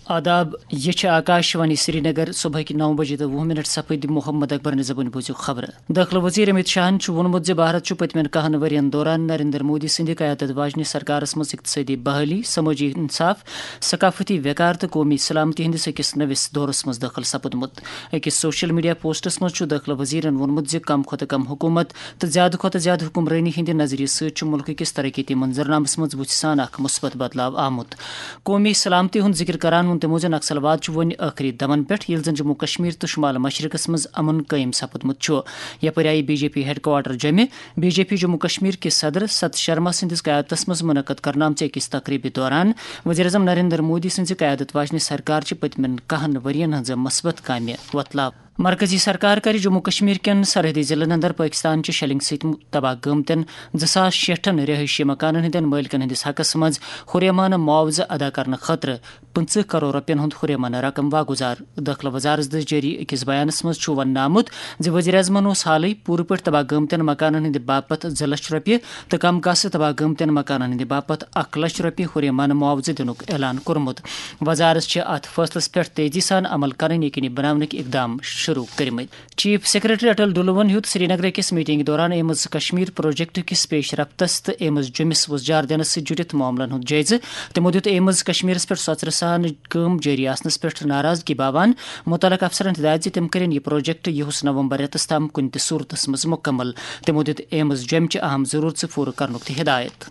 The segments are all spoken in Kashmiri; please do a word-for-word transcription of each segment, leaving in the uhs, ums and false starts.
آداب، یہ چھِ آکاش وانی سرینگر۔ صبحٕکۍ نو بجے تہٕ وُہ منٹ سپٕدۍ۔ محمد اکبر نِظامُن بوٗزِو خبرٕ۔ دٲخلہٕ وزیر امت شاہن چھُ ووٚنمُت زِ بھارت چھُ پٔتمٮ۪ن کہن ؤرین دوران نریندر مودی سٕنٛدِ قیادت واجنہِ سرکارس منٛز اقتصٲدی بحالی، سمٲجی انصاف، ثقافتی وقار تہٕ قومی سلامتی ہٕنٛدِس أکِس نٔوِس دورس منٛز دٲخل سپُدمُت۔ أکِس سوشل میڈیا پوسٹس منٛز چھُ دٲخلہٕ وزیرن ووٚنمُت زِ کم کھۄتہٕ کم حکومت تہٕ زیادٕ کھۄتہٕ زیادٕ حکمرٲنی ہٕنٛدِ نظریہٕ سۭتۍ چھُ مُلکہٕ کِس ترقیتی منظرنامس منٛز وُژھِ سان اکھ مثبت بدلاو آمُت۔ قومی سلامتی ہُنٛد ذکر کران ووٚن تِمو زِ نکسلواد چھُ وۄنۍ ٲخری دمن پٮ۪ٹھ، ییٚلہِ زن جموں کشمیر تہٕ شمال مشرقس منٛز امن قٲیِم سپُدمُت چھُ۔ یپٲرۍ آیہِ B J P headquarter جمہِ۔ B J P Jammu Kashmir کِس صدر ستھ شرما سٕنٛدِس قیادتس منٛز منعقد کرنہٕ آمژِ أکِس تقریبہِ دوران وزیر اعظم نریندر مودی سٕنٛزِ قیادت واجنہِ سرکار چھِ پٔتمٮ۪ن کہن ؤرین ہٕنٛزٕ مثبت کامہِ وۄتلاوان۔ مرکزی سرکار کرِ جموں کشمیر کٮ۪ن سرحدی ضلعن اندر پٲکستان چہِ شیلنگ سۭتۍ تباہ گٲمتٮ۪ن زٕ ساس شیٹھن رہٲیشی مکانن ہٕنٛدٮ۪ن مٲلکن ہٕنٛدِس حقس منٛز ہُریمانہٕ معاوضہٕ ادا کرنہٕ خٲطرٕ پٕنٛژٕہ کرور رۄپین ہُنٛد ہُریمانہٕ رقم واگُزار۔ دٲخلہٕ وزارت دٔسۍ جٲری أکِس بیانس منٛز چھُ وننہٕ آمُت زِ وزیر اعظمن اوس حالٕے پوٗرٕ پٲٹھۍ تباہ گٲمتٮ۪ن مکانن ہٕنٛدِ باپتھ زٕ لچھ رۄپیہِ تہٕ کم کاسہٕ تباہ گٲمتٮ۪ن مکانن ہٕنٛدِ باپتھ اکھ لچھ رۄپیہِ ہُریمانہٕ معاوضہٕ دِنُک اعلان کوٚرمُت۔ وزارت چھِ اتھ فٲصلس پٮ۪ٹھ تیزی سان عمل کرٕنۍ یقینی بناونٕکۍ اقدام شروع کٔرمٕتۍ۔ چیف سیکرٹری اٹل ڈلوَن ہیوٚت سرینگر أکِس میٹنگ دوران ایمز کشمیر پروجیکٹ کِس پیش رفتس تہٕ ایمز جوٚمِس وۄزجار دِنس سۭتۍ جُڑِتھ معاملن ہُنٛد جٲیزٕ۔ تِمو دِیُت ایمز کشمیرس پٮ۪ٹھ سۄژرٕ سان کٲم جٲری آسنس پٮ۪ٹھ ناراضگی باوان مُتعلقہٕ افسرن ہدایت زِ تِم کٔرِن یہِ پروجیکٹ یِہُس نومبر رٮ۪تس تام کُنہِ تہِ صورتس منٛز مُکمل۔ تِمو دِیُت ایمز جوٚمہِ چہِ اہم ضروٗرژٕ پوٗرٕ کرنُک تہِ ہدایت۔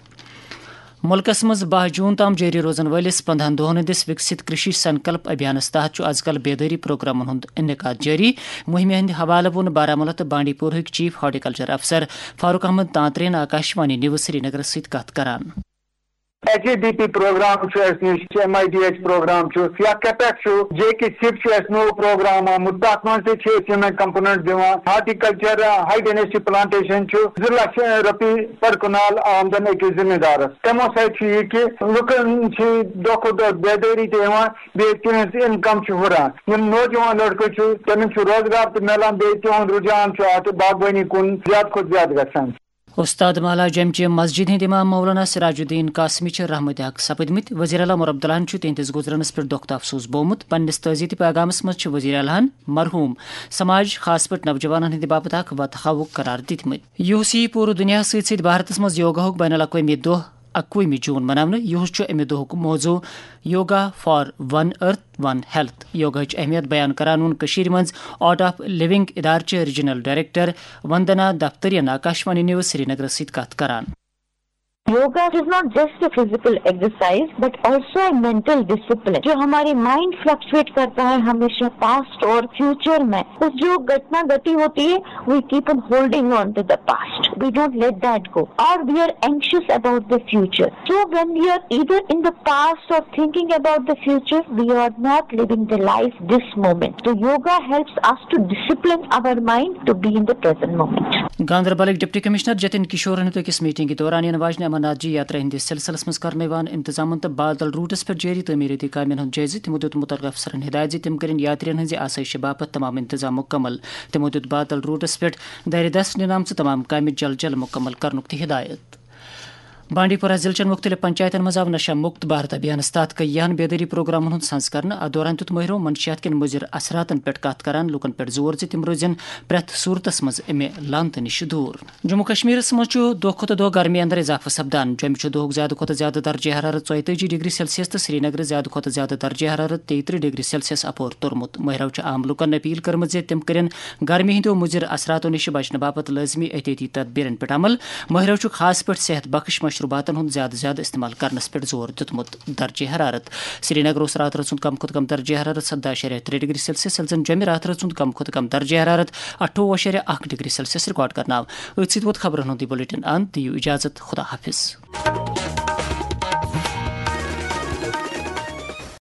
مُلکس منٛز باہ جوٗن تام جٲری روزن وٲلِس پندہن دۄہن ہٕنٛدِس وِکسِت کرشی سنکلپ ابھیانس تحت چھُ از کل بیدٲری پروگرامن ہُنٛد انعقاد جٲری۔ مُہِمہِ ہٕنٛدِ حوالہٕ ووٚن بارہمولہ تہٕ بانڈی پورہٕکۍ چیف ہارٹیکلچر افسر فاروق احمد تانترین آکاشوانی نیوز سرینگرس سۭتۍ کتھ کران۔ H A D P programme چھُ اَسہِ نِش، M I D H programme چھُ، یا کیپیک چھُ، جے کے سِپ چھُ اَسہِ نوٚو پروگرام آمُت، تَتھ منٛز تہِ چھِ أسۍ یِمے کمپوننٹ دِوان۔ ہارٹیکلچر، ہاے ڈینسٹی پلانٹیشن چھُ زٕ لچھ رۄپیہِ پر کنال آمدن أکِس ذمہ دارس۔ تِمو سۭتۍ چھُ یہِ کہِ لُکن چھِ دۄہ کھۄتہٕ دۄہ بیدٲری تہِ یِوان، بیٚیہِ تِہنٛز انکم چھِ ہُران۔ یِم نوجوان لڑکہٕ چھِ، تِمن چھُ روزگار تہِ میلان، بیٚیہِ تِہُنٛد رجحان چھُ اتھ باغبٲنی کُن زیادٕ کھۄتہٕ زیادٕ گژھان۔ استاد محلہ جمچہِ مسجد ہٕنٛدۍ امام مولانا سراج الدین قاسمی چھِ رحمت حق سپٕدمٕتۍ۔ وزیر اعلیٰ عمر عبداللہن چھُ تِہنٛدِس گُزرنس پٮ۪ٹھ دۄکھ تہٕ افسوس بوومُت۔ پننِس تعزیتی پیغامس منٛز چھِ وزیر اعلیٰ ہن مرحوم سماج، خاص پٲٹھۍ نوجوانن ہٕنٛدِ باپتھ اکھ وتحاوُک قرار دِتمٕتۍ۔ یُہُس یی پوٗرٕ دُنیاہس سۭتۍ سۭتۍ بھارتس منٛز یوگاہُک بین الاقوٲمی دۄہ اکوُہمہِ جوٗن مناونہٕ۔ یُہُس چھُ امہِ دۄہُک موضوع yoga for one earth one health. یوگاہٕچ اہمیت بیان کران ووٚن کٔشیٖرِ منٛز آرٹ آف لِونگ ادارچہِ ریجنل ڈائریکٹر وندنا دفتریَن آکاشوانی نیوز سرینگرس سۭتۍ کتھ کران۔ Yoga is not just a physical exercise but also a mental discipline. جو ہماری مائنڈ فلکچویٹ کرتا ہے ہمیشہ پاسٹ اور فیوچر میں، اس جو گھٹنا گھٹی ہوتی ہے, we keep on holding on to the past, we don't let that go, or we are anxious about the future. So when we are either in the past or thinking about the future, we are not living the life this moment. So yoga helps us to discipline our mind to be in the present moment. گاندربلٕکۍ ڈپٹی کمشنر جتن کشورن ہیوٚت أکِس میٹنگہِ دوران یِنہٕ واجنہِ امرناتھ جی یاترا ہٕنٛدِس سلسلس منٛز کرنہٕ یِوان انتظامن تہٕ بادل روٹس پٮ۪ٹھ جٲری تعمیٖرٲتی کامٮ۪ن ہُنٛد جٲیزٕ۔ تِمو دیُت مُتعلقہٕ افسرن ہدایت زِ تِم کٔرِن یاترین ہٕنٛزِ آسٲیشہِ باپتھ تمام انتظام مُکمل۔ تِمو دیُت بادل روٹس پٮ۪ٹھ دارِ دست نِنہٕ آمژٕ تمام کامہِ جلد جلد مُکمل کرنُک تہِ ہدایت۔ بانڈی پورہ ضلعہٕ چٮ۪ن مُختٔلِف پنچایتن منٛز آو نشہ مُکت بھارت ابھیانس تحت کٔیاہن بیدٲری پروگرامن ہُنٛد سنز کرنہٕ۔ اتھ دوران دیُت مٲہرو منشیات کٮ۪ن مُضِر اثراتن پٮ۪ٹھ کتھ کران لوٗکن پٮ۪ٹھ زور زِ تِم روزن پرٛٮ۪تھ صوٗرتس منٛز امہِ لعنتہٕ نِش دوٗر۔ جموں کشمیرس منٛز چھُ دۄہ کھۄتہٕ دۄہ گرمی اندر اضافہٕ سپدان۔ جوٚمہِ چھُ دۄہُک زیادٕ کھۄتہٕ زیادٕ درجہ حرارت ژۄیتٲجی ڈگری سیلسیس تہٕ سرینگرٕ زیادٕ کھۄتہٕ زیادٕ درجہ حرارت تیٚیہِ ترٕٛہ ڈگری سیلسیس اپور توٚرمُت۔ مٲہرو چھُ عام لوٗکن اپیل کٔرمٕژ زِ تِم کٔرِن گرمی ہٕنٛدیو مُضِر اثراتو نِش بچنہٕ باپتھ لٲزمی احتیاطی تدبیرن پٮ۪ٹھ عمل۔ مٲہرو چھُ خاص پٲٹھۍ صحت بخش مشروباتن ہُنٛد زیادٕ زیادٕ استعمال کرنس پٮ۪ٹھ زور دیُتمُت۔ درجہ حرارت۔ سرینگر اوس راتھ رٲژ ہُنٛد کم کھۄتہٕ کم درجہ حرارت سداہ اَشاریہ ترٛےٚ ڈگری سیلسیس، ییٚلہِ زن جوٚمہِ راتھ رٲژ ہُنٛد کم کھۄتہٕ کم درجہ حرارت اَٹھووُہ اَشاریہ اَکھ ڈگری سیلسیس ریکارڈ کرنہٕ آو۔ أتھۍ سۭتۍ ووت خبرن ہُنٛد یہِ بلیٹن اند۔ دِیِو اجازت، خدا حافظ۔